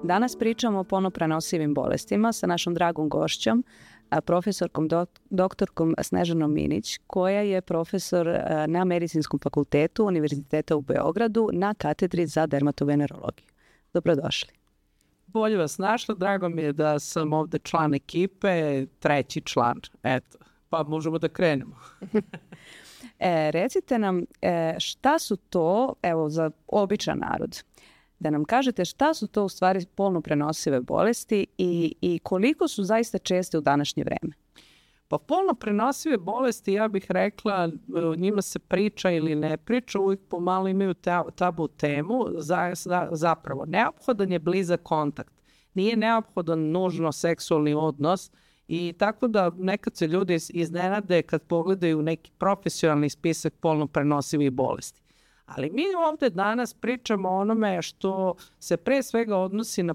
Danas pričamo o polnoprenosivim bolestima sa našom dragom gošćom, profesorkom doktorkom Snežanom Minić, koja je profesor na Medicinskom fakultetu Univerziteta u Beogradu na katedri za dermatovenerologiju. Dobrodošli. Bolje vas našla, drago mi je da sam ovde član ekipe, treći član, eto, pa možemo da krenemo. Recite nam šta su to, evo za običan narod, da nam kažete šta su to u stvari polno prenosive bolesti i koliko su zaista česte u današnje vreme? Pa polno prenosive bolesti, ja bih rekla, o njima se priča ili ne priča, uvijek pomalo imaju tabu temu, zapravo neophodan je blizak kontakt. Nije neophodan nužno seksualni odnos i tako da nekad se ljudi iznenade kad pogledaju neki profesionalni spisak polno prenosivih bolesti. Ali mi ovde danas pričamo o onome što se pre svega odnosi na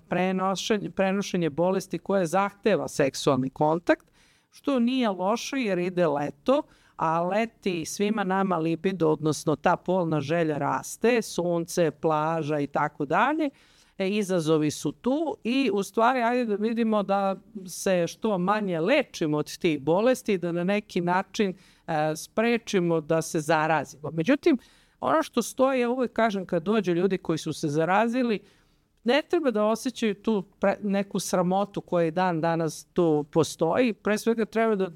prenošenje bolesti koje zahteva seksualni kontakt, što nije loše jer ide leto, a leti svima nama libido, odnosno ta polna želja raste, sunce, plaža i tako dalje. Izazovi su tu i u stvari ajde da vidimo da se što manje lečimo od tih bolesti i da na neki način sprečimo da se zarazimo. Međutim, ono što stoji, ja uvijek kažem kad dođu ljudi koji su se zarazili, ne treba da osjećaju tu neku sramotu koja dan danas tu postoji. Pre svega treba da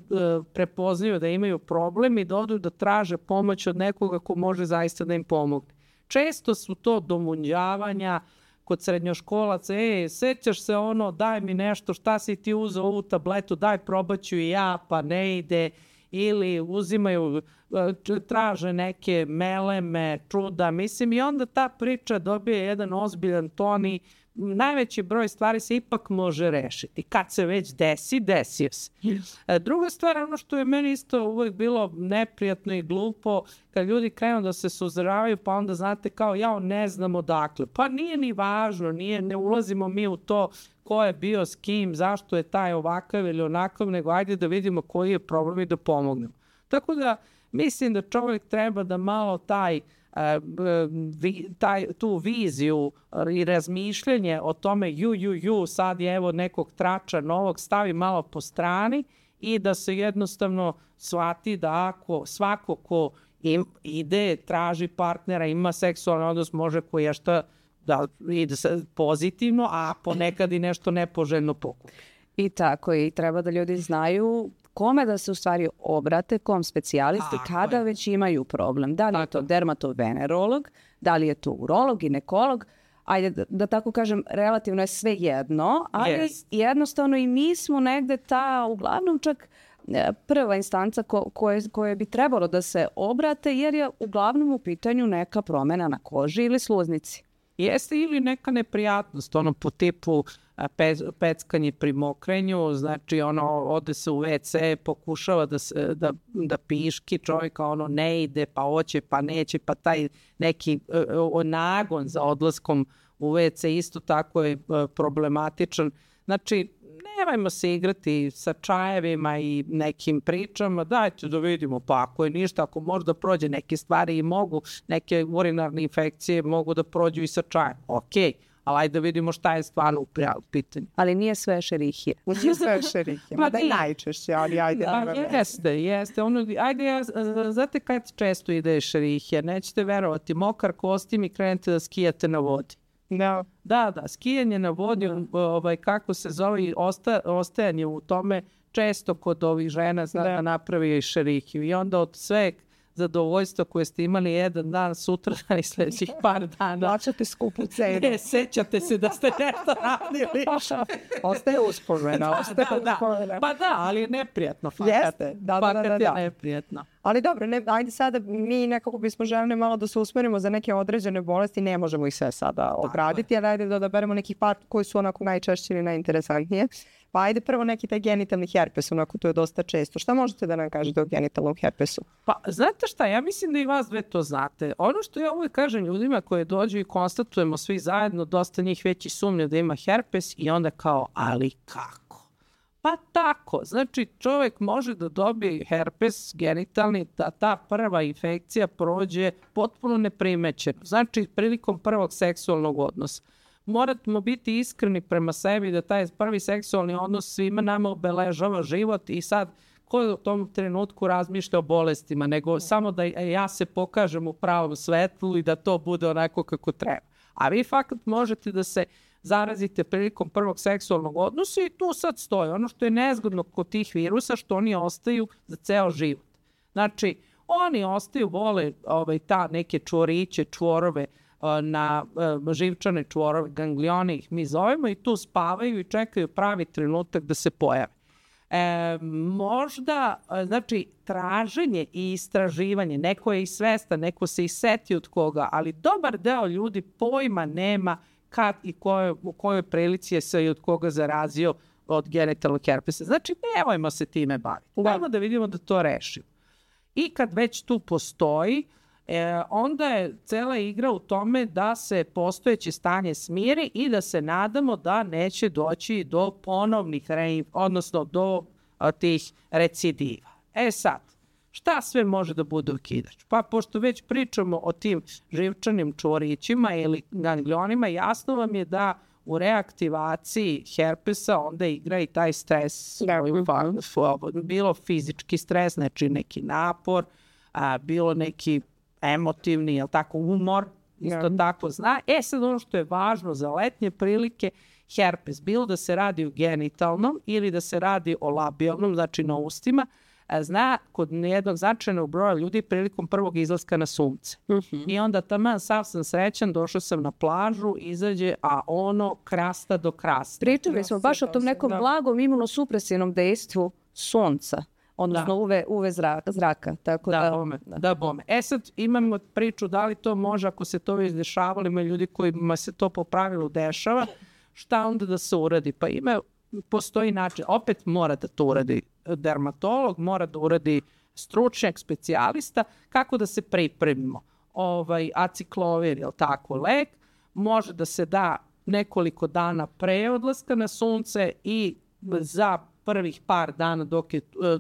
prepoznaju da imaju problem i da odu da traže pomoć od nekoga ko može zaista da im pomogne. Često su to domunjavanja kod srednjoškolaca, sećaš se ono, daj mi nešto, šta si ti uzeo ovu tabletu, daj probaću i ja, pa ne ide, ili uzimaju, traže neke meleme, čuda, mislim, i onda ta priča dobije jedan ozbiljan ton i najveći broj stvari se ipak može rešiti. Kad se već desi, desio se. Druga stvar, ono što je meni isto uvijek bilo neprijatno i glupo, kad ljudi krenu da se suzdržavaju, pa onda znate kao, ne znam odakle. Pa nije ni važno, ne ulazimo mi u to ko je bio s kim, zašto je taj ovakav ili onakav, nego ajde da vidimo koji je problem i da pomognemo. Tako da mislim da čovjek treba da malo tu viziju i razmišljanje o tome sad je evo nekog trača novog stavi malo po strani i da se jednostavno shvati da ako svako ko ide, traži partnera, ima seksualni odnos, može koješta da ide pozitivno, a ponekad i nešto nepoželjno pokupi. I tako, i treba da ljudi znaju kome da se u stvari obrate, kom specijalisti, kada već imaju problem. Da li je to dermatovenerolog, da li je to urolog, ginekolog, ajde da tako kažem, relativno je sve jedno, ali jednostavno i mi smo negde uglavnom čak prva instanca koje bi trebalo da se obrate, jer je uglavnom u pitanju neka promena na koži ili sluznici. Jeste ili neka neprijatnost, ono po tipu peckanje pri mokrenju, znači ode se u WC, pokušava da piški, čovjeka ne ide, pa hoće, pa neće, pa taj neki nagon za odlaskom u WC isto tako je problematičan. Znači, nemojmo se igrati sa čajevima i nekim pričama, dajte da vidimo, pa ako je ništa, ako možda prođe neke stvari i mogu, neke urinarne infekcije mogu da prođu i sa čajem, okej. Ali ajde da vidimo šta je stvarno u pitanju. Ali nije sve šerihije. Nije sve šerihije, mada je najčešće, ali ajde. Jeste. Znate kad često ide šerihija, nećete verovati, mokar kostim i krenete da skijate na vodi. No. Da, skijanje na vodi, kako se zove, ostajanje u tome, često kod ovih žena zna da napravi i šerihiju. I onda od sve zadovoljstva koje ste imali jedan dan, sutra i sljedećih par dana. Plaćate skupu cenu. Sećate se da ste nešto radili. Ostaje uspomena. Pa da, ali je neprijatno. Jeste, da. Je neprijatno. Ali dobro, ajde sada mi nekako bismo željeli malo da se usmerimo za neke određene bolesti, ne možemo ih sve sada obraditi, ali ajde da odaberemo nekih par koji su onako najčešće ili najinteresantnije. Pa ajde prvo neki taj genitalni herpes, onako to je dosta često. Šta možete da nam kažete o genitalnom herpesu? Pa znate šta, ja mislim da i vas dve to znate. Ono što ja uvijek kažem ljudima koji dođu i konstatujemo svi zajedno, dosta njih već i sumnja da ima herpes i onda kao, ali kako? Pa tako, znači čovjek može da dobije herpes genitalni, da ta prva infekcija prođe potpuno neprimećeno. Znači prilikom prvog seksualnog odnosa. Moramo biti iskreni prema sebi da taj prvi seksualni odnos svima nama obeležava život i sad ko u tom trenutku razmišlja o bolestima, nego samo da ja se pokažem u pravom svetlu i da to bude onako kako treba. A vi fakat možete da se zarazite prilikom prvog seksualnog odnosa i tu sad stoji. Ono što je nezgodno kod tih virusa, što oni ostaju za ceo život. Znači, oni ostaju, vole ta neke čvoriće, čvorove, na živčane čvorove, ganglione ih mi zovemo i tu spavaju i čekaju pravi trenutak da se pojave. Možda, znači, traženje i istraživanje, neko je i svestan, neko se i seti od koga, ali dobar deo ljudi pojma nema kad i u kojoj prilici je se i od koga zarazio od genitalnog herpesa. Znači, nemojmo se time baviti. Dajmo da vidimo da to rešimo. I kad već tu postoji, onda je cela igra u tome da se postojeće stanje smiri i da se nadamo da neće doći do ponovnih, odnosno do tih recidiva. Sad, šta sve može da bude okidač? Pa pošto već pričamo o tim živčanim čvorićima ili ganglionima, jasno vam je da u reaktivaciji herpesa onda igra i taj stres, bilo fizički stres, znači neki napor, bilo neki emotivni, jel tako, umor, isto tako zna. Sad ono što je važno za letnje prilike, herpes, bilo da se radi o genitalnom ili da se radi o labijalnom, znači na ustima, zna kod jednog značajnog broja ljudi prilikom prvog izlaska na sunce. I onda taman sav sam srećan, došao sam na plažu, izađe, a ono krasta do krasta. Pričali smo baš o tom nekom blagom imunosupresivnom dejstvu sunca. Odnosno UV zraka. Tako da bome. Sad imamo priču da li to može, ako se to već dešavalo, ima ljudi kojima se to po pravilu dešava, šta onda da se uradi? Pa postoji način, opet mora da to uradi dermatolog, mora da uradi stručnjak, specijalista, kako da se pripremimo. Aciklovir, je li tako, lek, može da se da nekoliko dana pre odlaska na sunce i za prvih par dana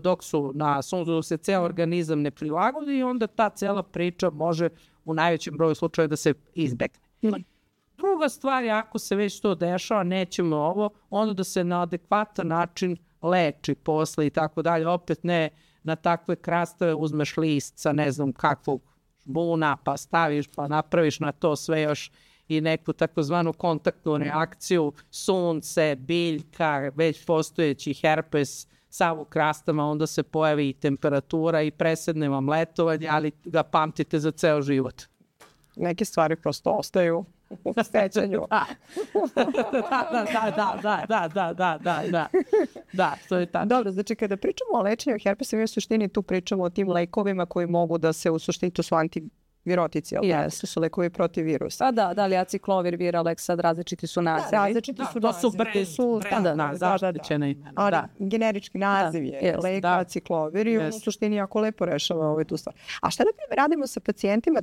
dok su na suncu, dok se ceo organizam ne prilagodi i onda ta cela priča može u najvećem broju slučaja da se izbegne. Druga stvar je, ako se već to dešava, nećemo ovo, onda da se na adekvatan način leči posle i tako dalje. Opet ne na takve krastave uzmeš list sa ne znam kakvog žbuna, pa staviš, pa napraviš na to sve još i neku takozvanu kontaktnu reakciju, sunce, biljka, već postojeći herpes, sav u krastama, onda se pojavi i temperatura i presedne vam letovanje, ali ga pamtite za ceo život. Neke stvari prosto ostaju u sećanju. Da, to je tako. Dobro, znači kada pričamo o lečenju herpesa, mi u suštini tu pričamo o tim lekovima koji mogu da se u suštini, to su antivirotici, to su lekovi protiv virusa. Da li aciklovir, Viralex, sad različiti su nazivi. Različiti su nazivi. Ali generički naziv je lek aciklovir i u suštini jako lepo rešava tu stvar. A šta naprimjer radimo sa pacijentima,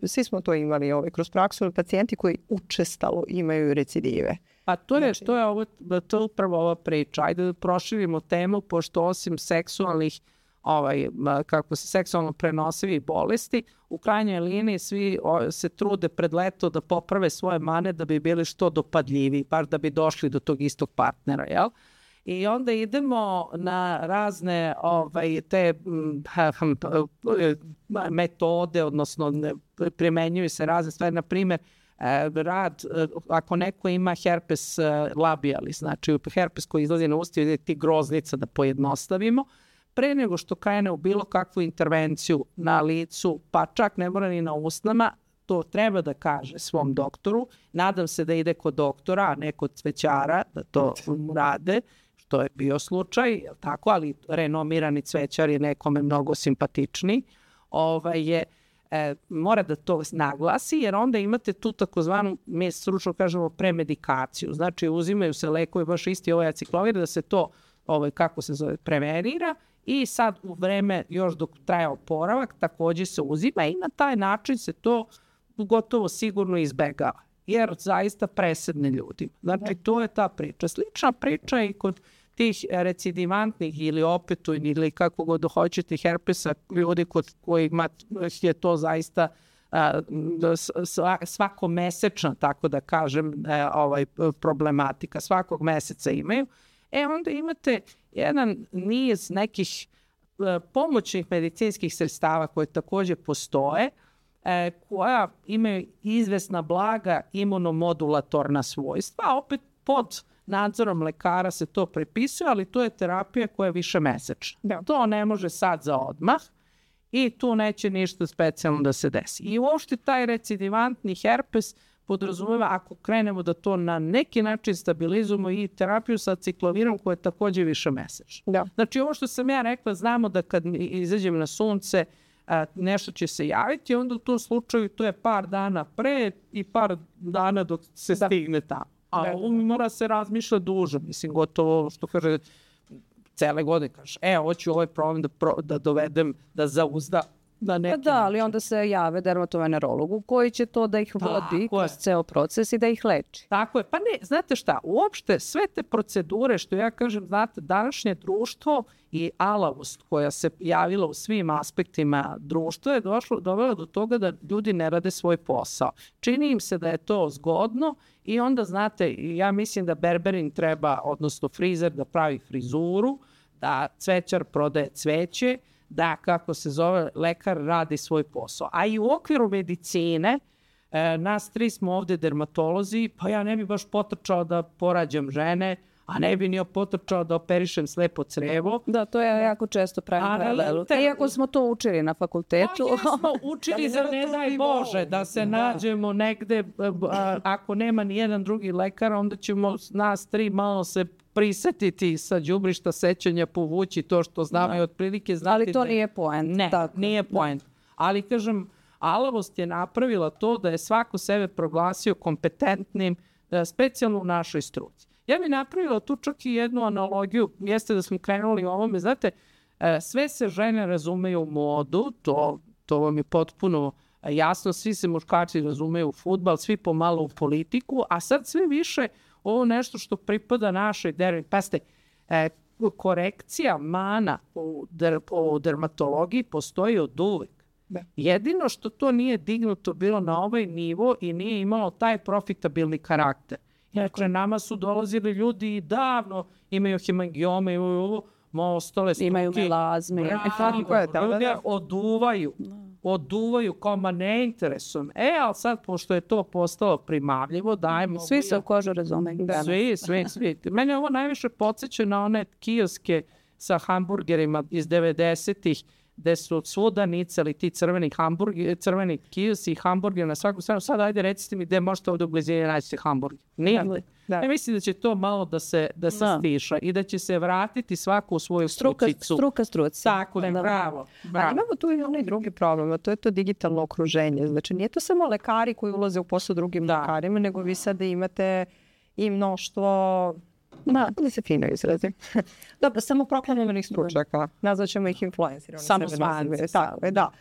svi smo to imali kroz praksu, pacijenti koji učestalo imaju recidive. Pa to je upravo ova priča. Ajde da proširimo temu, pošto osim seksualnih seksualno prenosivih bolesti, u krajnjoj liniji svi se trude pred leto da poprave svoje mane da bi bili što dopadljiviji, bar da bi došli do tog istog partnera, jel? I onda idemo na razne te metode, odnosno primenjuju se razne stvari, na primjer, ako neko ima herpes labialis, znači herpes koji izlazi na usta, ili ti groznica, da pojednostavimo, pre nego što krene u bilo kakvu intervenciju na licu, pa čak ne mora ni na usnama, to treba da kaže svom doktoru. Nadam se da ide kod doktora, a ne kod cvećara, da to rade, što je bio slučaj, tako, ali renomirani cvećar je nekome mnogo simpatičniji. Mora da to naglasi, jer onda imate tu takozvanu, mi stručno kažemo, premedikaciju. Znači, uzimaju se lekovi, baš isti aciklovir, da se to, kako se zove, prevenira i sad u vreme, još dok traje oporavak, također se uzima i na taj način se to gotovo sigurno izbegava, jer zaista presedne ljudi. Znači, to je ta priča. Slična priča i kod tih recidivantnih ili opetujnih ili kako god hoćete herpesa, ljudi kod kojima je to zaista svakomesečna, tako da kažem, problematika, svakog meseca imaju, onda imate jedan niz nekih pomoćnih medicinskih sredstava koje također postoje, koja imaju izvesna blaga imunomodulatorna svojstva, a opet pod nadzorom lekara se to prepisuje, ali to je terapija koja je više mesečna. Da. To ne može sad za odmah i tu neće ništa specijalno da se desi. I uopšte taj recidivantni herpes podrazumeva, ako krenemo da to na neki način stabilizujemo, i terapiju sa ciklovirom koja je također više mesečna. Da. Znači ovo što sam ja rekla, znamo da kad izađem na sunce, nešto će se javiti, onda u tom slučaju to je par dana pre i par dana dok se stigne tamo. A mora se razmišljati duže, mislim, gotovo, što kaže, cele godine kažeš, hoću ovaj problem da dovedem, da zauzda na neki Da, ali onda se jave dermatovenerologu koji će to da ih vodi kroz ceo proces i da ih leči. Tako je. Pa ne, znate šta, uopšte sve te procedure, što ja kažem, znate, današnje društvo i alavost koja se javila u svim aspektima društva je dovela do toga da ljudi ne rade svoj posao. Čini im se da je to zgodno i onda, znate, ja mislim da berberin treba, odnosno frizer, da pravi frizuru, da cvećar prodaje cveće, da, kako se zove, lekar radi svoj posao. A i u okviru medicine, nas 3 smo ovde dermatolozi, pa ja ne bi baš potrčao da porađam žene, a ne bi ni potrčao da operišem slepo crevo. Da, to je jako često pravim paralelu. Iako smo to učili na fakultetu. Pa smo učili za ne daj Bože da se nađemo negde, ako nema ni jedan drugi lekar, onda ćemo nas 3 malo se prisetiti sa đubrišta sećanja, povući to što znamo i otprilike znati. Ali to nije poent. Ne, nije poent. Ali kažem, alavost je napravila to da je svako sebe proglasio kompetentnim, specijalno u našoj struci. Ja bih napravila tu čak i jednu analogiju, jeste da smo krenuli u ovome, znate, sve se žene razumeju u modu, to vam je potpuno jasno, svi se muškarci razumeju u fudbal, svi pomalo u politiku, a sad sve više ovo nešto što pripada našoj pazite, korekcija mana u dermatologiji postoji od uvek. Da. Jedino što to nije dignuto bilo na ovaj nivo i nije imalo taj profitabilni karakter. Dakle, nama su dolazili ljudi i davno imaju hemangiome, imaju ovo, ostale struke. Imaju melazme. Oduvaju kao, ma ne interesujem. Ali sad, pošto je to postalo primavljivo, dajmo... Svi se u kožu razume. Svi. Mene ovo najviše podsjeća na one kioske sa hamburgerima iz 90-ih, gde su svuda nicali ti crveni kiosi i hamburger na svakom stranu. Sad ajde recite mi gde možete ovdje u blizini naći hamburger. Nije. Ja mislim da će to malo da se stiša i da će se vratiti svako u svoju strucicu. Struka struci. Tako, bravo. Ali imamo tu i onaj drugi problem, a to je to digitalno okruženje. Znači, nije to samo lekari koji ulaze u posao drugim lekarima, nego vi sada imate i mnoštvo... da se fino izrazim. Dobro, samo proklamovanih stručnjaka. Nazvaćemo ih influenceri. Samo zvanci. Tako je, da.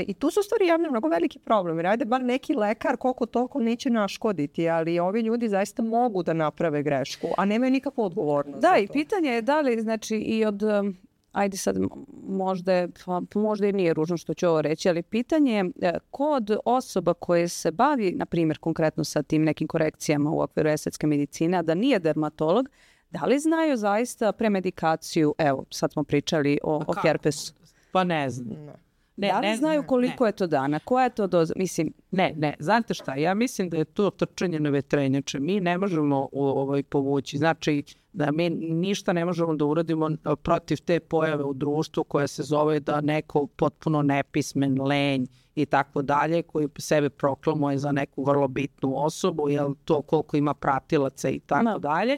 I tu su stvari javno mnogo veliki problem. Ajde, bar neki lekar koliko toliko neće naškoditi, ali ovi ljudi zaista mogu da naprave grešku, a nemaju nikakvu odgovornost. Da, i pitanje je da li, znači, i od... Ajde sad, možda i nije ružno što ću ovo reći, ali pitanje je kod osoba koje se bavi, na primjer, konkretno sa tim nekim korekcijama u okviru estetske medicine, a da nije dermatolog, da li znaju zaista premedikaciju, evo, sad smo pričali o herpesu. Pa ne znam. Da li znaju koliko je to dana? Koja je to doza? Mislim... Ne. Znate šta? Ja mislim da je to trčanje na vetrenjače. Mi ne možemo povući. Znači da mi ništa ne možemo da uradimo protiv te pojave u društvu koja se zove da neko potpuno nepismen, lenj i tako dalje, koji sebe proklamuje za neku vrlo bitnu osobu, jel to koliko ima pratilaca i tako dalje.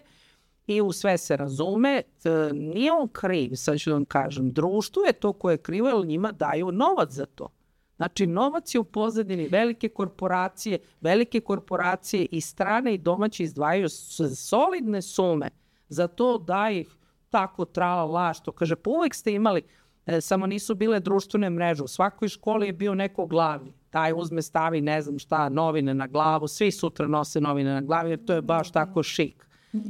I u sve se razume, nije on kriv, sad ću da vam kažem, društvo je to koje je krivo, jer njima daju novac za to. Znači, novac je u pozadini, velike korporacije i strane i domaće izdvajaju solidne sume za to da ih tako trala, što kaže, pa uvek ste imali, samo nisu bile društvene mreže, u svakoj školi je bio neko glavni, taj uzme, stavi, ne znam šta, novine na glavu, svi sutra nose novine na glavi, jer to je baš tako šik.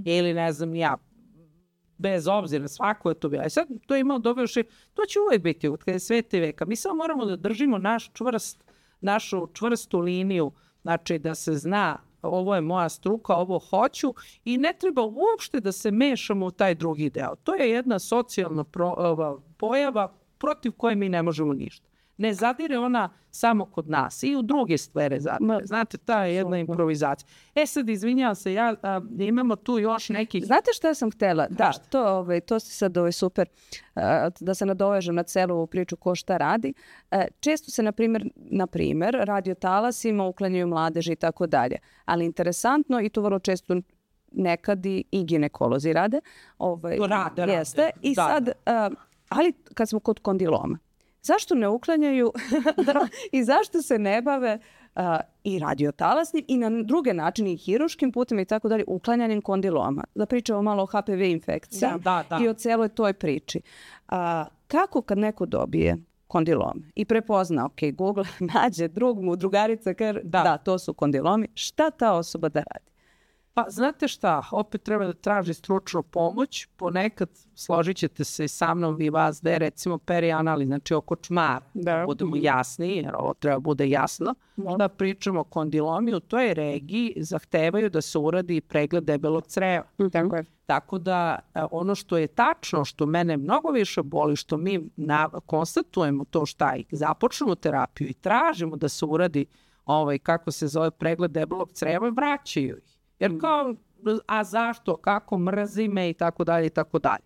Ili ne znam ja, bez obzira, svako je to bilo. Sad to je imao dobro, to će uvek biti od kada je svete veka. Mi samo moramo da držimo našu čvrstu liniju, znači da se zna ovo je moja struka, ovo hoću i ne treba uopšte da se mešamo u taj drugi deo. To je jedna socijalna pojava protiv koje mi ne možemo ništa. Ne zadire ona samo kod nas i u druge sfere. Znate, ta je jedna improvizacija. Sad, izvinjavam se, imamo tu još neki... Znate šta sam htjela? Da, to si sad super, da se nadovežem na celu ovu priču ko šta radi. Često se, na primjer, radiotalasima uklanjaju mladeži i tako dalje. Ali interesantno, i to vrlo često nekad i ginekolozi rade. Rade. Jeste. I sad, ali kad smo kod kondiloma, zašto ne uklanjaju i zašto se ne bave i radiotalasnim i na druge načine i hiruškim putem i tako dalje uklanjanjem kondiloma? Da pričamo malo o HPV infekciji i o celoj toj priči. Kako kad neko dobije kondilom i prepozna, Google nađe drugarica, da, to su kondilomi, šta ta osoba da radi? Pa znate šta, opet treba da traži stručnu pomoć, ponekad složit ćete se sa mnom i vas da je recimo perianali, znači oko čmara, da budemo jasni, jer ovo treba bude jasno, da pričamo o kondilomiju, u toj regiji zahtevaju da se uradi pregled debelog creva. Tako je. Tako da ono što je tačno, što mene mnogo više boli, što mi konstatujemo to šta i započnemo terapiju i tražimo da se uradi kako se zove pregled debelog creva, vraćaju ih. Jer kao, a zašto, kako, mrzi me i tako dalje i tako dalje.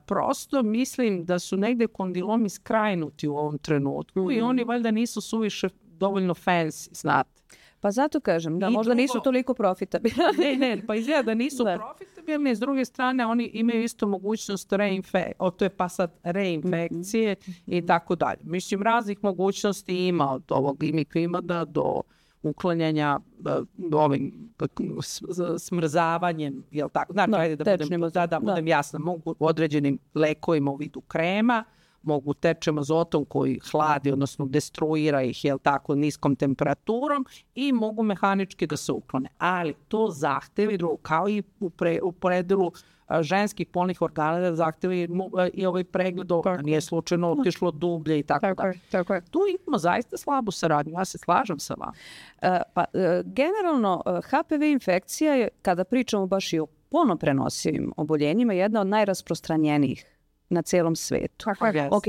Prosto mislim da su negde kondilomi skrajnuti u ovom trenutku i oni valjda nisu suviše dovoljno fancy, znate. Pa zato kažem, da možda nisu toliko profitabilni. Ne, pa izgleda da nisu profitabilni, s druge strane oni imaju isto mogućnost reinfekcije i tako dalje. Mislim, raznih mogućnosti ima od ovog imikvimada do uklanjanja ovim smrzavanjem, jel tako? Znači, da budem jasna, mogu određenim lekovima u vidu krema, mogu tečem azotom koji hladi, odnosno destruira ih, jel tako, niskom temperaturom i mogu mehanički da se uklone. Ali to zahtevi, kao i u predelu ženskih polnih organa, da zahtevi i ovaj pregled, nije slučajno otišlo dublje i tako dalje. Tu imamo zaista slabu saradnju, ja se slažem sa vama. Generalno, HPV infekcija je, kada pričamo baš i o polno prenosivim oboljenjima, jedna od najrasprostranjenijih na celom svetu.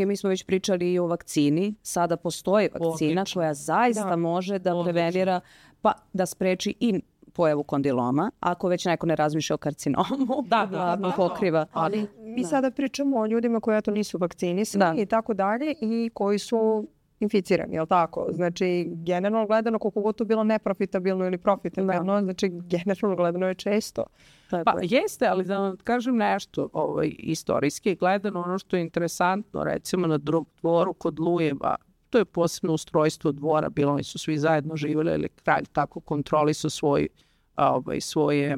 Mi smo već pričali i o vakcini. Sada postoji vakcina koja zaista može da prevenira, pa da spreči i pojavu kondiloma, ako već neko ne razmišlja o karcinomu, da pokriva. Ali mi sada pričamo o ljudima koji nisu vakcinisani i tako dalje i koji su inficirani, je li tako? Znači, generalno gledano, koliko god to bilo neprofitabilno ili profitabilno, znači, generalno gledano je često. Pa jeste, ali da vam kažem nešto istorijski gledano, ono što je interesantno, recimo na dvoru kod Lujeva, to je posebno ustrojstvo dvora, bilo oni su svi zajedno živjeli, ili kralj tako kontrolisao svoje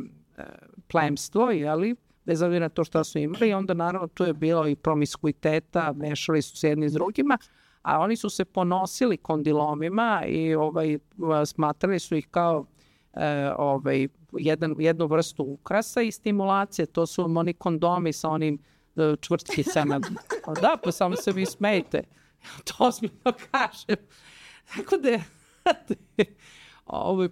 plemstvo, jeli, bez obzira na to što su imali, i onda naravno tu je bilo i promiskuiteta, mešali su se jedni s drugima, a oni su se ponosili kondilomima i smatrali su ih kao jednu vrstu ukrasa i stimulacije. To su oni kondomi sa onim čvrtkicama. Da, pa samo se vi smejte. To ozbiljno kažem. Tako da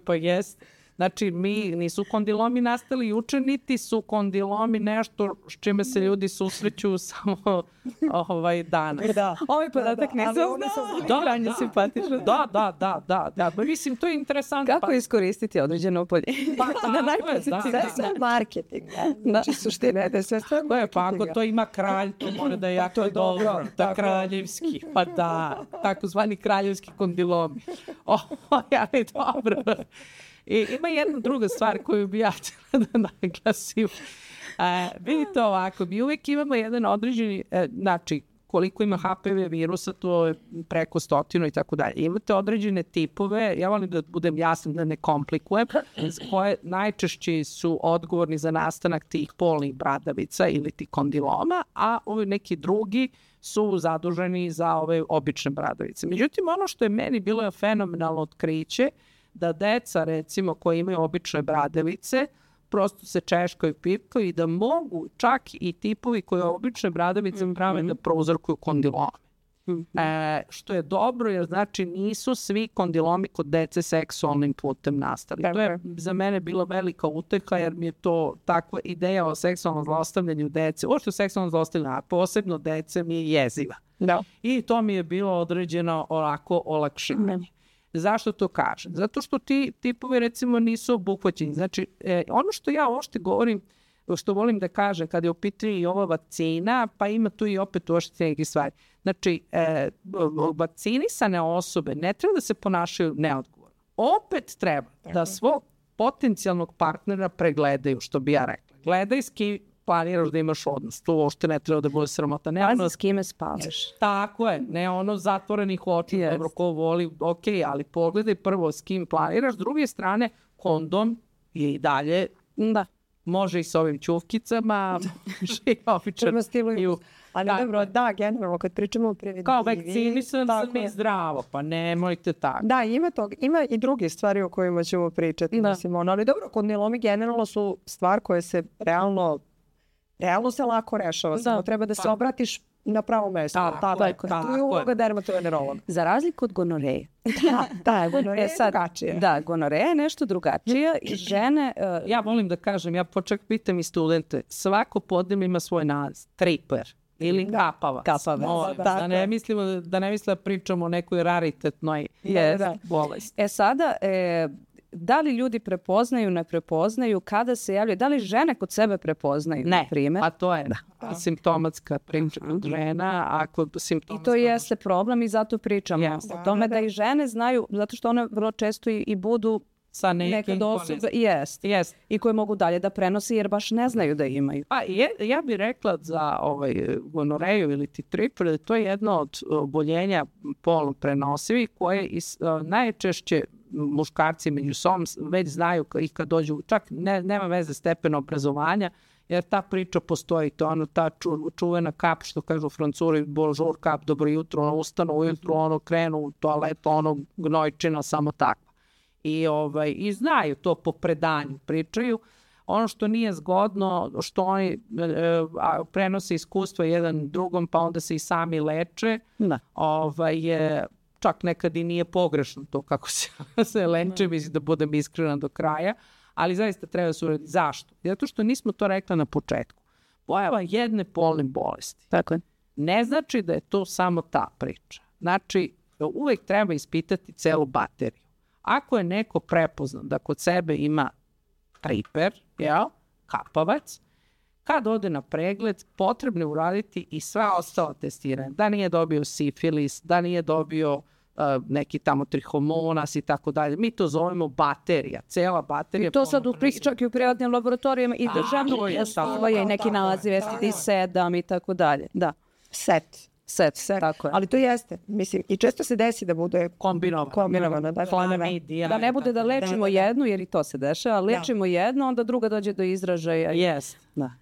pa jest. Znači, nisu kondilomi nastali juče, niti su kondilomi nešto s čime se ljudi susreću samo danas. Ovaj podatak ne znao. Krajnje simpatično. Da. Mislim, to je interesantno. Kako iskoristiti određeno oboljenje? Na najpozitivnije. Marketing. Znači, suština je da je sve stvar marketinga. Pa ako to ima kralj, to mora da je jako dobro. Da, kraljevski. Pa da, takozvani kraljevski kondilomi. Ali dobro. I ima jedna druga stvar koju bi ja htjela da naglasim. Vidite ovako, mi uvijek imamo jedan određeni, znači koliko ima HPV virusa, to je preko 100 i tako dalje. Imate određene tipove, ja volim da budem jasna, da ne komplikujem, koje najčešće su odgovorni za nastanak tih polnih bradavica ili tih kondiloma, a ovi neki drugi su zaduženi za ove obične bradavice. Međutim, ono što je meni bilo fenomenalno otkriće, da deca, recimo, koji imaju obične bradavice, prosto se češkaju, pipkaju i da mogu čak i tipovi koji obične bradavice prave da prouzrokuju kondilome. Što je dobro jer znači nisu svi kondilomi kod dece seksualnim putem nastali. To je za mene bila velika uteha jer mi je to takva ideja o seksualnom zlostavljanju dece, uopšte seksualnom zlostavljanju, a posebno dece mi je jeziva. I to mi je bilo određeno ovako olakšivanje. Zašto to kažem? Zato što ti tipovi recimo nisu obuhvaćeni. Znači, ono što ja uopšte govorim, što volim da kažem kada je u pitanju i ova vakcina, pa ima tu i opet uopšte neke stvari. Znači, vakcinisane osobe ne treba da se ponašaju neodgovorno. Opet treba da svog potencijalnog partnera pregledaju, što bi ja rekla. Gledaj s kim planiraš da imaš odnos. To uopšte ne treba da bude sramota. Pazi s kime spavaš. Tako je. Ne ono zatvorenih očiju. Dobro, ko voli, ok, ali pogledaj prvo s kim planiraš. S druge strane, kondom je i dalje... Može i s ovim ćufkicama, prema stilu i ali dobro, generalno kad pričamo o preventivi... Kao vakcinisan sam i zdravo, pa nemojte tako. Da, ima i druge stvari o kojima ćemo pričati, mislim, ali dobro, kondilomi generalno su stvar koja se realno se lako rešava, samo treba da se obratiš na pravo mesto. To je uloga dermatovenerologa. Za razliku od gonoreje. Gonoreja je drugačija. Da, gonoreja je nešto drugačija i žene... Ja volim da kažem, ja počak pitam i studente, svako podneblje ima svoj naziv, triper ili kapavac. Da ne mislimo da pričamo o nekoj raritetnoj bolesti. Sada... Da li ljudi prepoznaju, ne prepoznaju, kada se javljaju, da li žene kod sebe prepoznaju? Ne, a to je simptomatska priča kod žena. I to jeste problem i zato pričamo o tome da i žene znaju, zato što one vrlo često i budu sa nekim osobe, i koje mogu dalje da prenose jer baš ne znaju da imaju. Ja bih rekla za gonoreju ili triper, to je jedno od oboljenja polno prenosivih koje najčešće muškarci među sobom već znaju i kad dođu, čak nema veze stepen obrazovanja, jer ta priča postoji, to ono ta čuvena kap, što kažu Francuri, bonjour kap, dobro jutro, ono ustanu ujutru, ono krenu u toaletu, ono gnojčina, samo takva. I znaju to po predanju, pričaju. Ono što nije zgodno, što oni prenose iskustva jedan drugom, pa onda se i sami leče, je čak nekad i nije pogrešno to kako se leče, mislim da budem iskrena do kraja, ali zaista treba se uraditi. Zašto? Zato što nismo to rekla na početku. Pojava jedne polne bolesti ne znači da je to samo ta priča. Znači, uvek treba ispitati celu bateriju. Ako je neko prepoznao da kod sebe ima triper, kapavac, kad ode na pregled, potrebno je uraditi i sva ostala testiranja. Da nije dobio sifilis, da nije dobio neki tamo trihomonas i tako dalje. Mi to zovemo baterija, cela baterija. I to sad čak i u privatnim laboratorijama i državno postoje i neki naziv STD7 i tako dalje. Da. Set, tako je. Ali to jeste, mislim, i često se desi da bude kombinovano. Da ne bude da lečimo jednu, jer i to se dešava, lečimo jednu, onda druga dođe do izražaja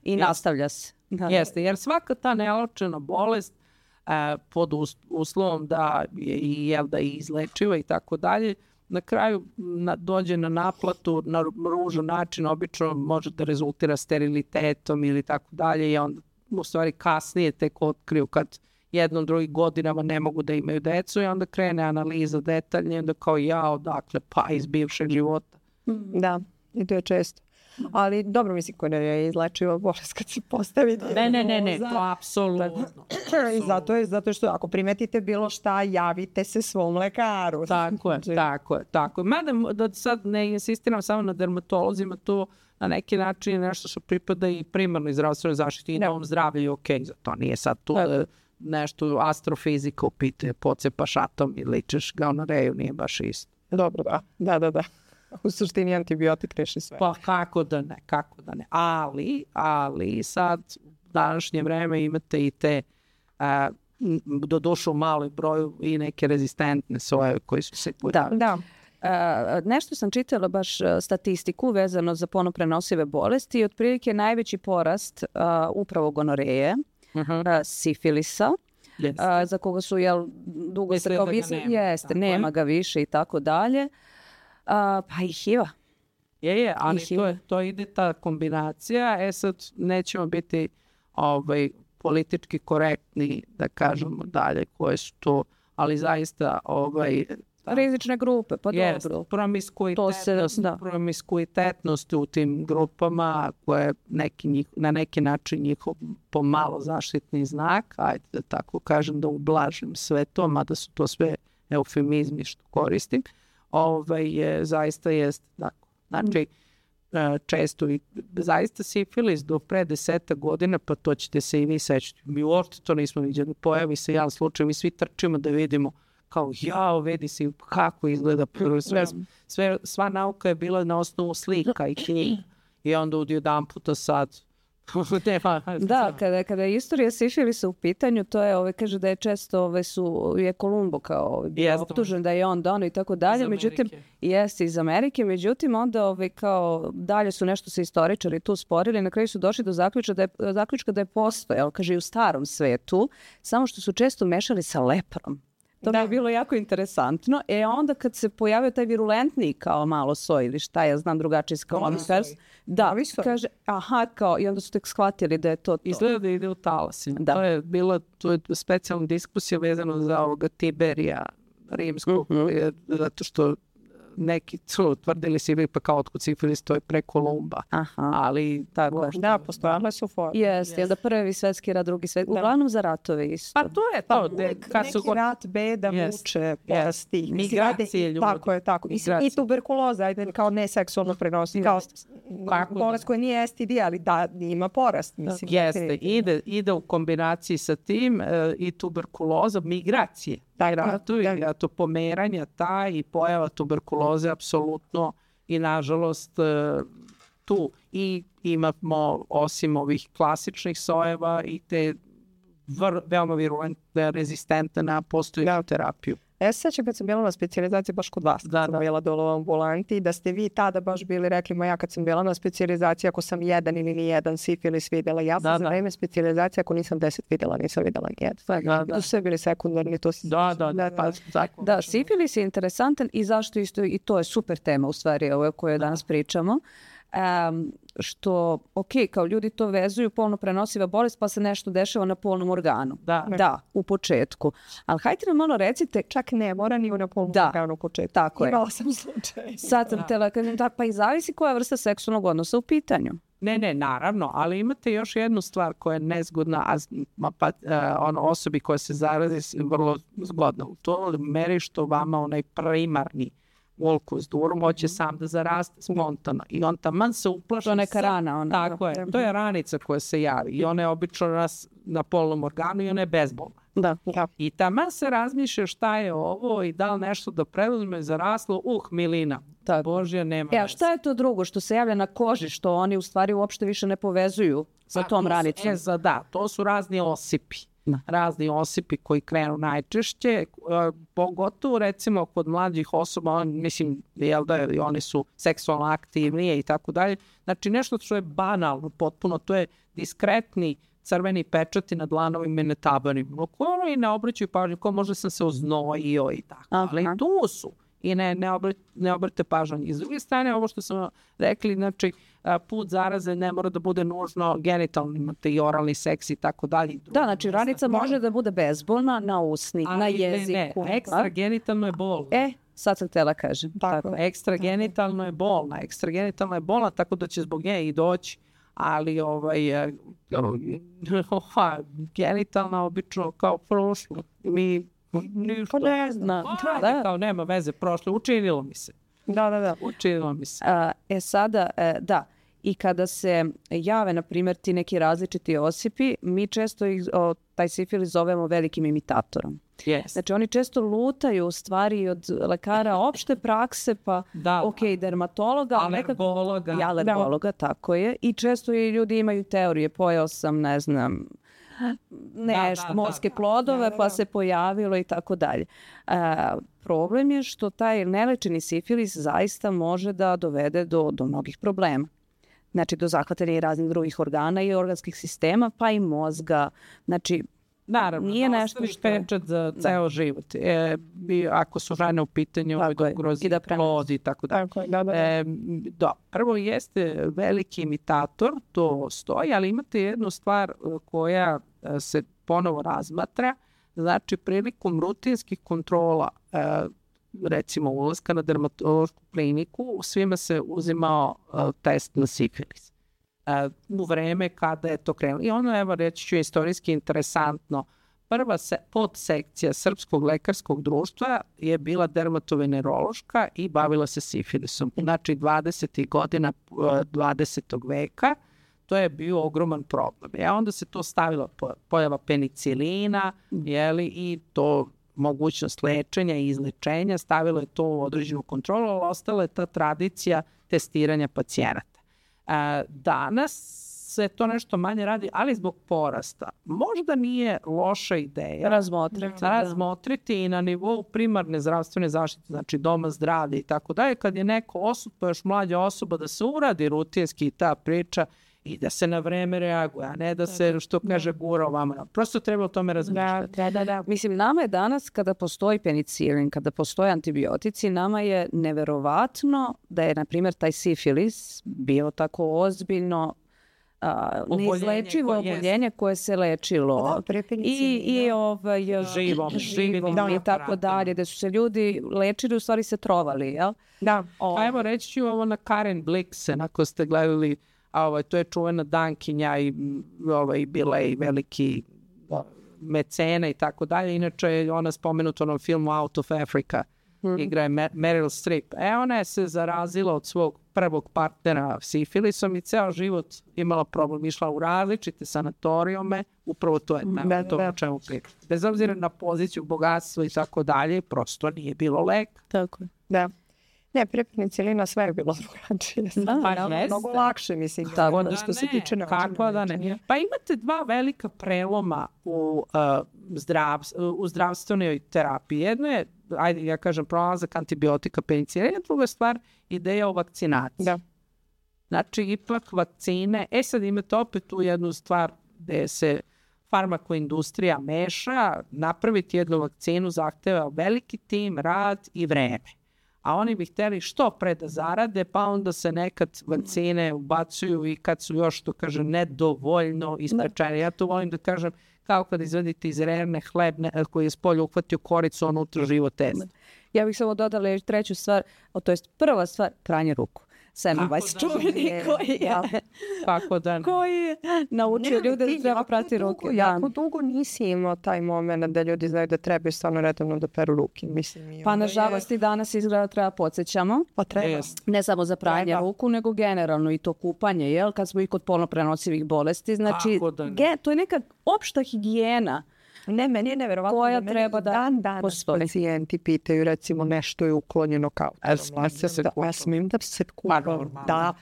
i nastavlja se. Jeste, jer svaka ta neočena bolest pod uslovom da je izlečiva i tako dalje, na kraju dođe na naplatu na ružan način, obično može da rezultira sterilitetom ili tako dalje i onda u stvari kasnije tek otkriju kad jednom drugim godinama ne mogu da imaju decu i onda krene analiza detaljnije i onda kao odakle, pa iz bivšeg života. Da, i to je često. Ali dobro, mislim, ko je izlečiva bolest kad se postavi Ne, to apsolutno. I zato što ako primetite bilo šta, javite se svom lekaru. Tako je. Mada da sad ne insistiram samo na dermatolozima, to na neki način je nešto što pripada i primarnoj zdravstvenoj zaštiti i novom zdravlju je okej. Zato nije sad tu nešto astrofizika upite, pocepaš atom i ličeš gonoreju, nije baš isto. Dobro, da. U suštini antibiotik reši sve. Pa kako da ne. Ali sad u današnje vreme imate i te doduše u maloj broju i neke rezistentne soje koji su se pojavili. Da. Nešto sam čitala baš statistiku vezano za polno prenosive bolesti i otprilike najveći porast upravo gonoreje, sifilisa, za koga su dugo se kao nema ga više i tako dalje. Pa i HIV-a. Ali to ide ta kombinacija. Sad nećemo biti politički korektni da kažemo dalje koje su to, ali zaista rizične grupe, pa dobro. Promiskuitetnost u tim grupama koje na neki način njihov pomalo zaštitni znak, ajde da tako kažem, da ublažim sve to, mada su to sve eufemizmi što koristim, zaista jest tako. Znači, često i zaista sifilis do pre 10 godina, pa to ćete se i vi sećati. Mi uopšte to nismo viđali. Pojavi se jedan slučaj, mi svi trčimo da vidimo kao vidi se kako izgleda. Sva nauka je bila na osnovu slika i knjiga. I onda jedan puta sad da, kada je istorija sifilisa u pitanju, to je, kaže da je često je Kolumbo kao optužen da je on dono i tako dalje, međutim, jeste iz Amerike, međutim onda kao dalje su nešto se istoričari tu sporili, na kraju su došli do zaključka da je postojao, kaže i u starom svetu, samo što su često mešali sa leprom. To mi je bilo jako interesantno. Onda kad se pojavio taj virulentni kao malo soj ili šta ja znam drugačiji skalomifers, kaže i onda su tek shvatili da je to. Izgleda da ide u talasima. To je specijalna diskusija vezano za ovoga Tiberija rimskog, zato što neki su tvrdili si pa kao otkud sifilis, to je pre Kolumba. Ali tako. Da, postojale su forme. Jeste, da prvi svetski rat, drugi svetski, uglavnom za ratove isto. Pa to je to. Neki rat, beda, muče, bolesti. Migracije ljudi. Tako je, tako. I tuberkuloza, ajde, kao neseksualno prenosi, kao bolest koja nije STD, ali da ima porast. Jeste, ide u kombinaciji sa tim i tuberkuloza, migracije. To pomeranja i pojava tuberkuloze apsolutno i nažalost tu i imamo osim ovih klasičnih sojeva i te veoma virulentne, rezistentne na postojeću terapiju. Sećam kad sam bila na specijalizaciji baš kod vas, kad sam bila dole u ambulanti, da ste vi tada baš bili rekli, ja kad sam bila na specijalizaciji, ako sam jedan ili nijedan sifilis videla, ja sam za vreme specijalizacije, ako nisam 10 videla, nisam videla nijedan. To su sve bili sekundarni, to si... Da, sifilis je interesantan i zašto isto, i to je super tema u stvari o kojoj danas pričamo. Što, kao ljudi to vezuju, polno prenosiva bolest, pa se nešto dešava na polnom organu. Da, u početku. Ali hajte nam malo recite... Čak ne mora ni na polnom organu u početku. Tako je. Imala sam slučaj. Sad sam tela kažem, pa i zavisi koja vrsta seksualnog odnosa u pitanju. Ne, naravno, ali imate još jednu stvar koja je nezgodna, osobi koja se zarazi vrlo zgodna. U to meri što vama onaj primarni volkus durum hoće sam da zaraste spontano i on taman se uplaši. To je neka rana. Tako je, to je ranica koja se javi i ona je obično na polnom organu i ona je bezbolna. I taman se razmišlja šta je ovo i da li nešto da preduzme zaraslo, milina. Božja, nema veze. Šta je to drugo što se javlja na koži, što oni u stvari uopšte više ne povezuju sa tom ranicom? To su razni osipi. Razni osipi koji krenu najčešće, pogotovo recimo kod mlađih osoba, mislim, oni su seksualno aktivnije i tako dalje. Znači nešto što je banalno potpuno, to je diskretni crveni pečati na dlanovima i na tabanima. Oni ne obraćaju pažnju, ko možda sam se oznojio i tako, ali tu su. I ne obrate pažnju. I s druge strane, ovo što smo rekli, znači, put zaraze ne mora da bude nužno genitalni, imate i oralni seks i tako dalje. Da, znači ranica može da bude bezbolna na usni, na jeziku. Ne, ekstragenitalno je bolno. Sad sam htjela kažem. Ekstragenitalno je bolna. Ekstragenitalno je bolna, tako da će zbog nje i doći. Ali genitalna obično kao prošlo. Ništa. Ne znam. Kao nema veze, prošlo. Učinilo mi se. Da. Učinilo mi se. Sada, da. I kada se jave, na primjer, ti neki različiti osipi, mi često taj sifilis zovemo velikim imitatorom. Znači, oni često lutaju u stvari od lekara opšte prakse, pa dermatologa, alergologa, tako je. I često i ljudi imaju teorije, pojeo sam, ne znam, morske plodove, pa se pojavilo i tako dalje. Problem je što taj nelečeni sifilis zaista može da dovede do mnogih problema. Znači, do zahvatanja i raznih drugih organa i organskih sistema, pa i mozga. Znači, Naravno, nije nešto što je pečat za ceo život. Ako su žene u pitanju, ugrozi plod i tako da. Prvo jeste veliki imitator, to stoji, ali imate jednu stvar koja se ponovo razmatra. Znači, prilikom rutinskih kontrola, recimo ulaska na dermatološku kliniku, svima se uzimao test na sifilis. U vreme kada je to krenulo. I ono, evo, reći ću istorijski interesantno, prva podsekcija Srpskog lekarskog društva je bila dermatovenerološka i bavila se sifilisom. Znači, 20. godina 20. veka, to je bio ogroman problem. Onda se to stavilo pojava penicilina, i to mogućnost lečenja i izlečenja, stavilo je to u određenu kontrolu, ali ostala je ta tradicija testiranja pacijenata. Danas se to nešto manje radi, ali zbog porasta. Možda nije loša ideja razmotriti i na nivou primarne zdravstvene zaštite, znači doma zdravlja i tako dalje, kad je neko osoba, još mlađa osoba, da se uradi rutinski ta priča i da se na vreme reaguje, a ne da se, što kaže, gura ovamo. Prosto treba o tome razmišljati. Mislim, nama je danas, kada postoji penicilin, kada postoje antibiotici, nama je neverovatno da je, na primjer, taj sifilis bio tako ozbiljno neizlečivo oboljenje koje se lečilo živom i tako dalje, da su se ljudi lečili, u stvari se trovali, jel? Da. Pa evo, reći ću ovo na Karen Blixen, ako ste gledali, to je čuvena dankinja i bila i veliki mecena i tako dalje. Inače je ona spomenuta u onom filmu Out of Africa. Igra je Meryl Streep. Ona je se zarazila od svog prvog partnera sifilisom i ceo život imala problem. Išla u različite sanatorijume. Upravo to je to o čemu priča. Bez obzira na poziciju, bogatstvo i tako dalje, prosto nije bilo lek. Tako je. Da. Ne, pre penicilina sve je bilo drugačije. Mnogo lakše, mislim. Tako što se tiče Pa imate dva velika preloma u zdravstvenoj terapiji. Jedno je, pronalazak antibiotika penicilina, druga stvar, ideja o vakcinaciji. Da. Znači, ipak vakcine, sad imate opet tu jednu stvar gde se farmakoindustrija meša, napraviti jednu vakcinu zahteva veliki tim, rad i vreme. A oni bi hteli što pre da zarade, pa onda se nekad vakcine ubacuju i kad su još, to kažem, nedovoljno isprečene. Ja to volim da kažem, kao kad izvedite iz rerne hleb koji je s polja uhvatio koricu, on unutra živo test. Ja bih samo dodala još treću stvar, to je prva stvar, pranje ruku. Semmelweis čuveni koji je naučio ljude da treba prati ruke. Jako dugo nisi imao taj moment da ljudi znaju da trebaju stvarno redovno da peru ruke. Pa nažalost i danas izgleda treba podsjećamo. Pa treba. Ne samo za pranje ruku, nego generalno i to kupanje, jel? Kad smo i kod polno prenosivih bolesti. Znači, to je neka opšta higijena. Ne, meni je neverovatno koja treba da danas pacijenti pitaju, recimo, nešto je uklonjeno kao smijem da se kupam. Da.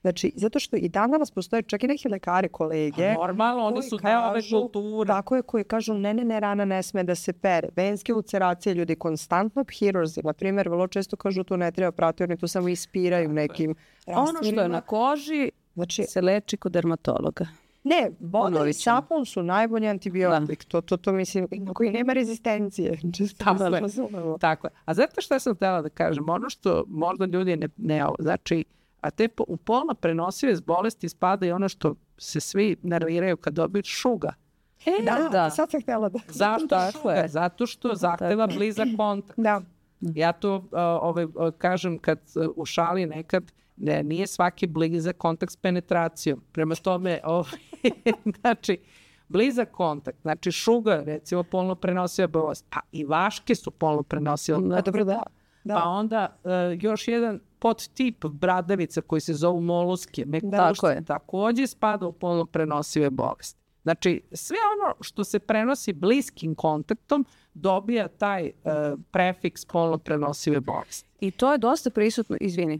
Znači, zato što i dan danas postoje čak i neki lekari, kolege. Normalno, oni su ove kulture. Tako je, koji kažu, ne, rana ne sme da se pere. Venske ulceracije, ljudi konstantno hirurzi, na primjer, vrlo često kažu tu ne treba prati, oni tu samo ispiraju nekim rastirima. Ono što je na koži se leči kod dermatologa. Ne, voda i sapun su najbolji antibiotik. To mislim, koji nema rezistencije. Tako je. A znate što sam htjela da kažem? Ono što možda ljudi ne znači, a te u polno prenosive bolesti spada i ono što se svi nerviraju kad dobiju šuga. Da, sad sam htjela da... Zašto šuga? Zato što zahteva blizak kontakt. Da. Ja to kažem kad u šali nekad, nije svaki blizak kontakt s penetracijom. Prema tome, znači, blizak kontakt, znači šuga, recimo, polno prenosiva bolest, pa i vaške su polno prenosiva. Pa onda još jedan podtip bradavica koji se zovu moluske, također spada u polno prenosive bolesti. Znači, sve ono što se prenosi bliskim kontaktom dobija taj prefiks polno prenosive bolesti. I to je dosta prisutno, izvini.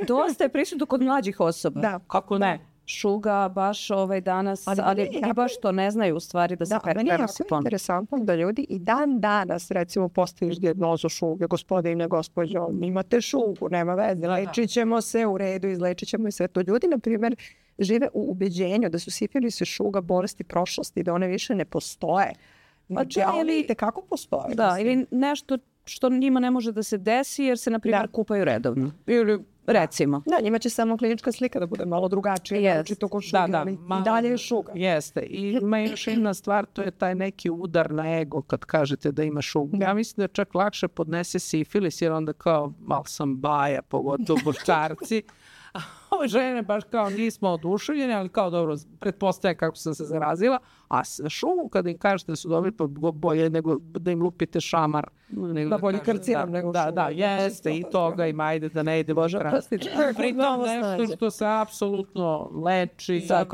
Dosta je prisutno kod mlađih osoba. Da. Kako ne? šuga baš danas, ali baš to ne znaju u stvari da se prenosi ponovo. Interesantno da ljudi i dan danas recimo postaviš dijagnozu šuge, gospodine, gospođo, imate šugu, nema veze, lečit ćemo se u redu, izlečit ćemo i sve to. Ljudi, na primjer, žive u ubeđenju da su sifilis i šuga bolesti prošlosti, da one više ne postoje. Znači, vidite kako postoje. Da, ili nešto što njima ne može da se desi jer se, na primjer, kupaju redovno. Ili recimo. Da, njima će samo klinička slika da bude malo drugačija. Znači, to ko šuga, ali i dalje je šuga. Jeste. I ima još jedna stvar, to je taj neki udar na ego kad kažete da ima šugu. Ja mislim da čak lakše podnese sifilis jer onda kao malo sam baja, pogotovo muškarci. A ove žene baš kao nismo oduševljene, ali kao dobro, pretpostavljam kako sam se zarazila. A šugu kada im kažete da su dobri, pa bolje nego da im lupite šamar. Da bolje karcinom nego šugu. Da, jeste i toga im ajde da ne ide Bože. Pritom nešto što se apsolutno leči za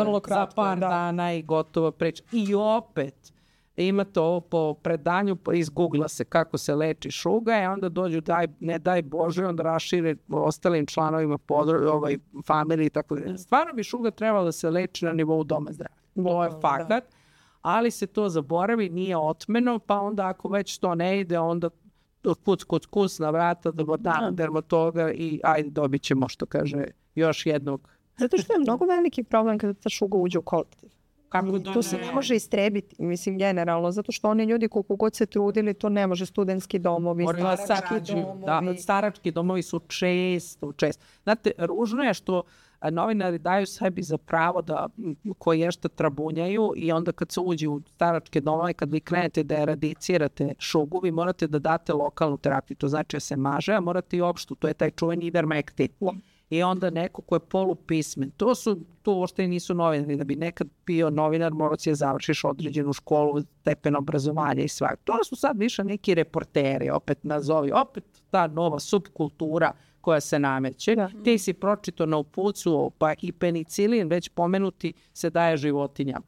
par dana i gotova priča. I opet, imate ovo po predanju, iz Google-a se kako se leči šuga i onda dođu, ne daj Bože, onda rašire ostalim članovima familije i tako da. Stvarno bi šuga trebala da se leči na nivou doma zdravlja. To je fakat, ali se to zaboravi, nije otmeno, pa onda ako već to ne ide, onda kuc na vrata dermatologa i ajde dobit ćemo, što kaže, još jednog. Zato što je mnogo veliki problem kada ta šuga uđe u kolektiv. To se ne može istrebiti, mislim, generalno, zato što oni ljudi koliko god se trudili, to ne može, studentski domovi, starački domovi. Starački domovi su često. Znate, ružno je što novinari daju sebi za pravo da koji šta trabunjaju i onda kad se uđe u staračke domove, kad vi krenete da eradicirate šugu, vi morate da date lokalnu terapiju, to znači da se maže, a morate i opštu, to je taj čuveni ivermektin. I onda neko ko je polupismen. To uopšte nisu novinari. Da bi nekad bio novinar, morao si da završiš određenu školu, stepen obrazovanja i sve. To su sad više neki reporteri, opet ta nova subkultura koja se nameće. Ti si pročito na upucu, pa i penicilin, već pomenuti, se daje životinjama.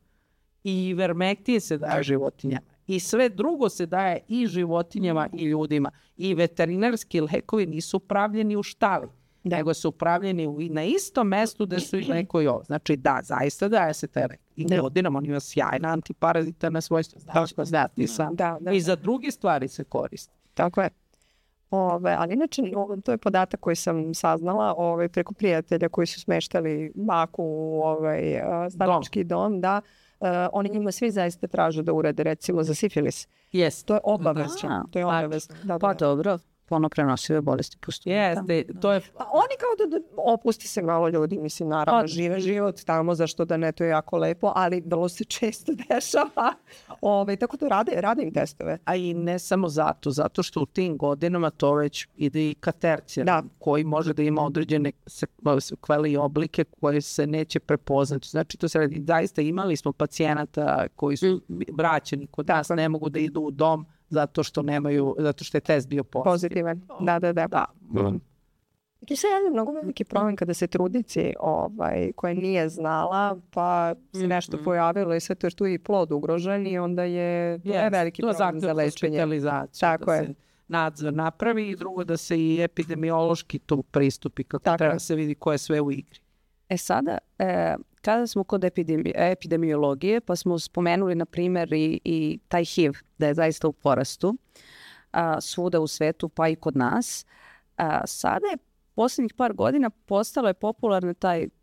I ivermektin se daje životinjama. I sve drugo se daje i životinjama i ljudima. I veterinarski lekovi nisu pravljeni u štali, nego su upravljeni na istom mestu gde su i neko i ovo. Znači da, zaista daje se taj lek. I godinama on ima sjajna antiparazitarna svojstva. I za druge stvari se koristi. Tako je. Ali inače, to je podatak koji sam saznala preko prijatelja koji su smeštali baku u starački dom, da oni njima svi zaista traže da urade recimo za sifilis. To je obavezno. Pa dobro. Prenosive bolesti postoje. Jeste, to je... Pa oni kao da opusti se malo ljudi, mislim, naravno, žive život tamo, zašto da ne, to je jako lepo, ali vrlo se često dešava. Tako to rade im testove. A i ne samo zato što u tim godinama to već ide i ka tercijarnom, koji može da ima određene sekvele i oblike koje se neće prepoznati. Znači, to se radi, zaista imali smo pacijenata koji su vraćeni kod nas, ne mogu da idu u dom, zato što je test bio pozitivan. Da. To se je mnogo veliki problem kada se trudnici koja nije znala, pa se nešto pojavilo i sve to, jer tu je i plod ugrožen i onda je veliki problem za lečenje. Tako je. Nadzor napravi i drugo da se i epidemiološki tu pristupi kako treba se vidi ko je sve u igri. Sada, kada smo kod epidemiologije, pa smo spomenuli, na primjer, i taj HIV, da je zaista u porastu svuda u svetu, pa i kod nas. Sada je posljednjih par godina postalo je popularno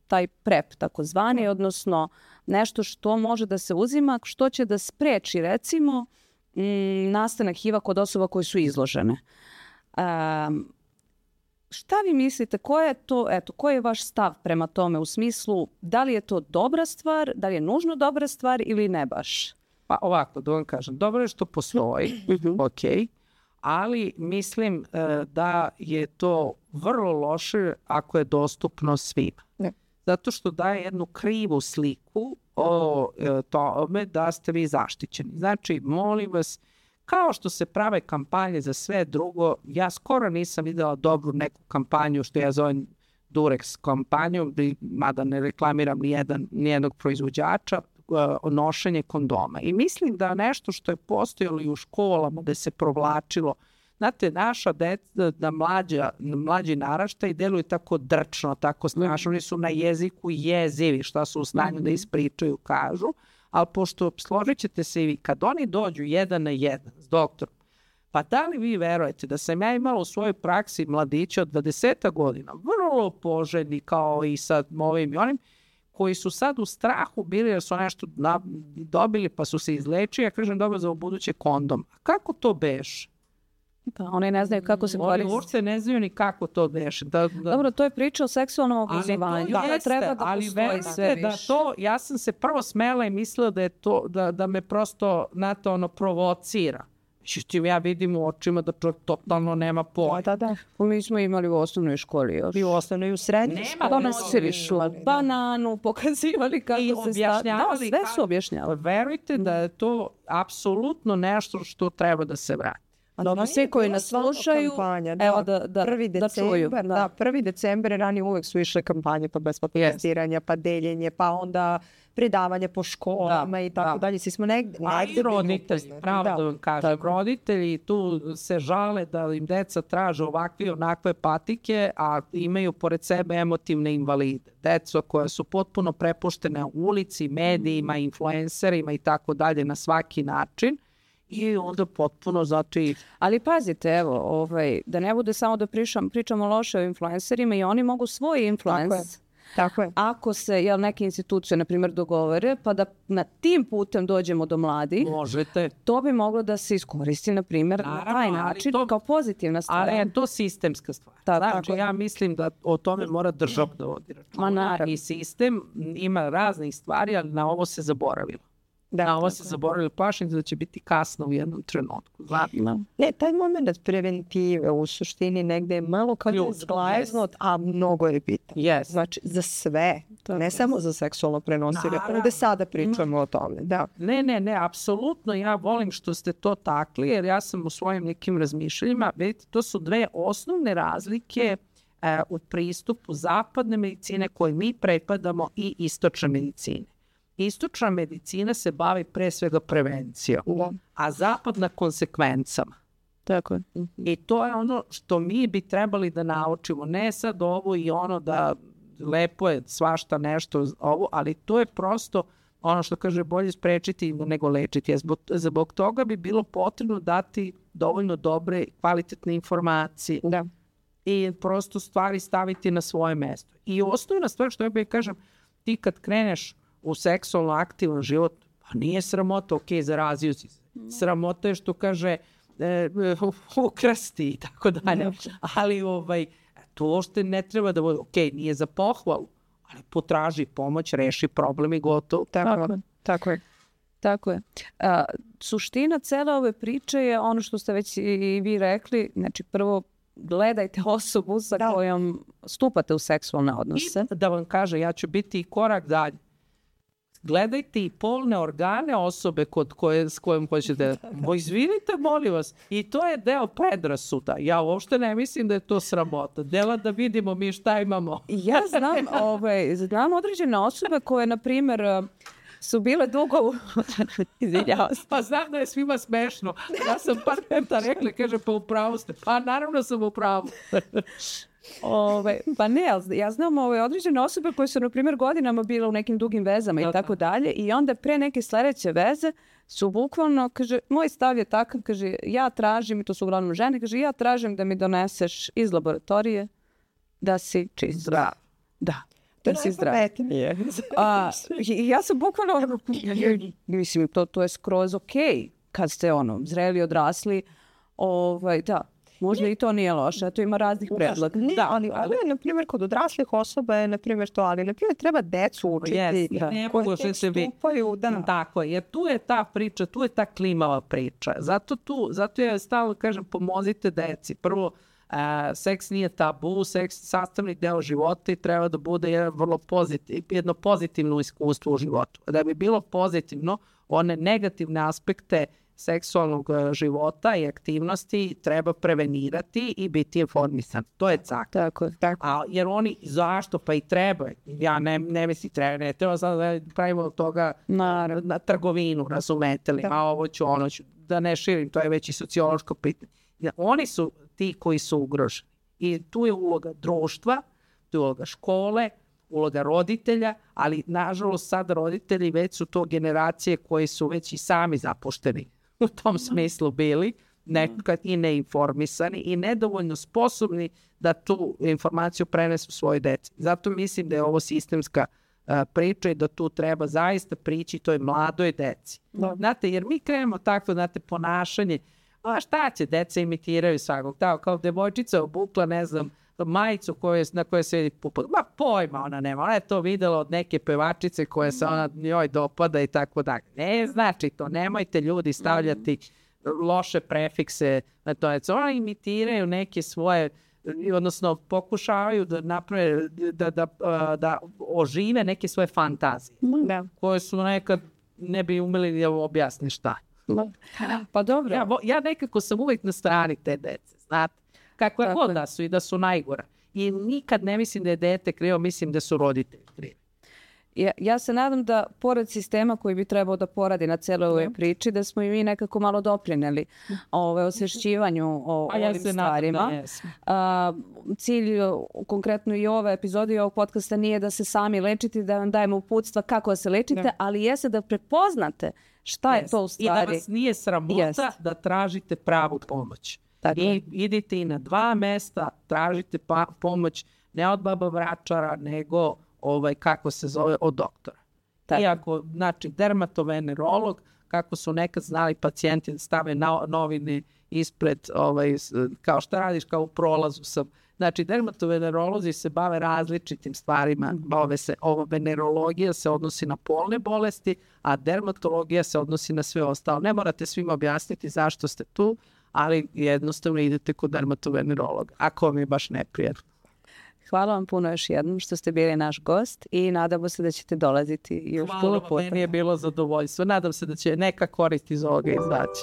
taj PrEP, takozvani, odnosno nešto što može da se uzima, što će da spreči, recimo, nastanak HIV-a kod osoba koje su izložene. Šta vi mislite, koji je vaš stav prema tome u smislu da li je to dobra stvar, da li je nužno dobra stvar ili ne baš? Pa ovako, da vam kažem, dobro je što postoji, ali mislim da je to vrlo loše ako je dostupno svima. Zato što daje jednu krivu sliku o tome da ste vi zaštićeni. Znači, molim vas, kao što se prave kampanje za sve drugo, ja skoro nisam videla dobru neku kampanju, što ja zovem Durex kampanju, mada ne reklamiram nijednog proizvođača, nošenje kondoma. I mislim da nešto što je postojalo i u školama, da se provlačilo, znate, naša deca, mlađi naraštaj deluju tako drčno, tako strašno, oni su na jeziku jezivi, šta su u stanju da ispričaju, kažu, ali pošto složit ćete se i vi, kad oni dođu 1 na 1 s doktorom, pa da li vi verujete da sam ja imala u svojoj praksi mladića od 20 godina, vrlo poželjni kao i sad ovim i onim, koji su sad u strahu bili jer su nešto dobili pa su se izlečili, ja kažem dobro za buduće kondom. A kako to beše? Pa oni ne znaju kako se koristi. Oni uopšte ne znaju ni kako to beše. Dobro, to je priča o seksualnom obrazovanju. Treba da postoji sve više. Ja sam se prvo smela i mislila da je to, da me prosto provocira. Međutim, ja vidim u očima da čovjek totalno nema pojma. Da. Mi smo imali u osnovnoj školi još. I u osnovnoj i u srednjoj. Donosili bananu, pokazivali kako se stavlja. Sve su objašnjavali. Verujte da je to apsolutno nešto što treba da se vrati. Svi koji nas slušaju, evo da čuju. Da, 1. decembar ranije uvek su išle kampanje pa besplatno testiranja, pa deljenje, pa onda predavanje po školama i tako dalje. Svi smo negdje roditelji, pravo da vam kažem. Roditelji tu se žale da im deca traže ovakve i onakve patike, a imaju pored sebe emotivne invalide. Deco koja su potpuno prepuštene ulici, medijima, influencerima i tako dalje na svaki način. I onda potpuno zato i... Ali pazite, evo, da ne bude samo da pričamo loše o influencerima i oni mogu svoj influence. Tako je. Ako se neke institucije, na primjer, dogovore, pa da na tim putem dođemo do mladih, možete. To bi moglo da se iskoristi, na primjer, na taj način, kao pozitivna stvar. Ali je to sistemska stvar. Znači, ja mislim da o tome mora država da vodi računa. I sistem ima raznih stvari, ali na ovo se zaboravilo. Na ovo se zaboravili, plašim da će biti kasno u jednom trenutku. Ne, taj moment preventive u suštini negde je malo kao zglaznut, a mnogo je bitan. Znači, za sve, ne samo za seksualno prenosive, ovde sada pričamo o tome. Ne, apsolutno ja volim što ste to takli, jer ja sam u svojim nekim razmišljanjima, vidite, to su dve osnovne razlike u pristupu zapadne medicine koje mi prepadamo i istočne medicine. Istočna medicina se bavi pre svega prevencijom, a zapadna konsekvencama. Tako je. I to je ono što mi bi trebali da naučimo. Ne sad ovo i ono da lepo je svašta nešto ovo, ali to je prosto ono što kaže bolje sprečiti nego lečiti. Zbog toga bi bilo potrebno dati dovoljno dobre, kvalitetne informacije. I prosto stvari staviti na svoje mesto. I osnovna stvar što ja bih kažem, ti kad kreneš u seksualno aktivan život, pa nije sramota, zarazio si se. Sramota je što kaže ukrasti i tako dalje. Ali to uopšte ne treba da bude, nije za pohvalu, ali potraži pomoć, reši problem i gotovo. Tako je. Suština cele ove priče je ono što ste već i vi rekli, znači prvo gledajte osobu sa kojom stupate u seksualne odnose. I da vam kaže, ja ću biti i korak dalje. Gledajte i polne organe osobe s kojom hoćete. Izvinite, molim vas. I to je deo predrasuda. Ja uopšte ne mislim da je to sramota. Dela da vidimo mi šta imamo. Ja znam određene osobe koje, na primjer, su bile dugo izvinjavam se. Pa znam da je svima smešno. Ja sam par puta rekla, kaže, pa upravo ste. Pa naravno sam upravo. Pa ne, ja znam određene osobe koje su, na primjer, godinama bile u nekim dugim vezama i tako dalje, i onda pre neke sledeće veze su bukvalno, kaže, moj stav je takav, kaže, ja tražim, i to su uglavnom žene, kaže, ja tražim da mi doneseš iz laboratorije da si čist zdrav. Da si zdrav. Ja sam bukvalno, mislim, to je skroz okej kad ste zreli, odrasli, možda i to nije loše, a to ima raznih predloga. Ali na primjer, kod odraslih osoba je, na primjer, to, ali na primjer treba decu učiti. Koje tek stupaju, Tako je, jer tu je ta priča, tu je ta klimava priča. Zato ja stalno kažem, pomozite deci. Prvo, seks nije tabu, seks je sastavni deo života i treba da bude jedno pozitivno iskustvo u životu. Da bi bilo pozitivno, one negativne aspekte seksualnog života i aktivnosti treba prevenirati i biti informisan. To je cak. Tako. Jer oni, zašto? Pa i treba. Ja ne mislim treba. Ne treba sad da pravimo od toga na trgovinu, razumete li? A ovo ću, ono ću, da ne širim, to je već i sociološko pitanje. Oni su ti koji su ugroženi. I tu je uloga društva, tu je uloga škole, uloga roditelja, ali nažalost sad roditelji već su to generacije koji su već i sami zapušteni u tom smislu bili, nekad i neinformisani i nedovoljno sposobni da tu informaciju prenesu svojoj deci. Zato mislim da je ovo sistemska priča i da tu treba zaista prići toj mladoj deci. Znate, jer mi krenemo takvo, znate, ponašanje, a šta će, deca imitiraju svakog, tako kao devojčica obukla, ne znam, majicu na kojoj se vidi pupak. Ma pojma ona nema, ona je to videla od neke pevačice koje se ona njoj dopada i tako dalje. Ne znači to, nemojte ljudi stavljati loše prefikse na to. Ona imitiraju neke svoje, odnosno pokušavaju da naprave, da ožive neke svoje fantazije, koje su nekad ne bi umeli da objasni šta. Pa dobro. Ja nekako sam uvijek na strani te dece, znate. Kako je god da su i da su najgora. I nikad ne mislim da je dete krivo, mislim da su roditelji krivi. Ja se nadam da pored sistema koji bi trebao da poradi na celoj ovoj priči, da smo i mi nekako malo doprineli osvešćivanju o ovim stvarima. Cilj konkretno i ove epizode i ovog podcasta nije da se sami lečite, da vam dajemo uputstva kako da se lečite, ali jeste da prepoznate šta je to u stvari. I da vas nije sramota da tražite pravu pomoć. I idite i na 2 mesta, tražite pomoć ne od baba vračara, nego kako se zove, od doktora. Iako, znači, dermatovenerolog, kako su nekad znali pacijenti da stave novine ispred, kao šta radiš, kao u prolazu sam. Znači, dermatovenerolozi se bave različitim stvarima. Venerologija se odnosi na polne bolesti, a dermatologija se odnosi na sve ostalo. Ne morate svima objasniti zašto ste tu, ali jednostavno idete kod dermatovenerologa, ako vam je baš neprijatno. Hvala vam puno još jednom što ste bili naš gost i nadamo se da ćete dolaziti još puno puta. Hvala vam, meni je bilo zadovoljstvo. Nadam se da će neka korist iz ovoga izaći.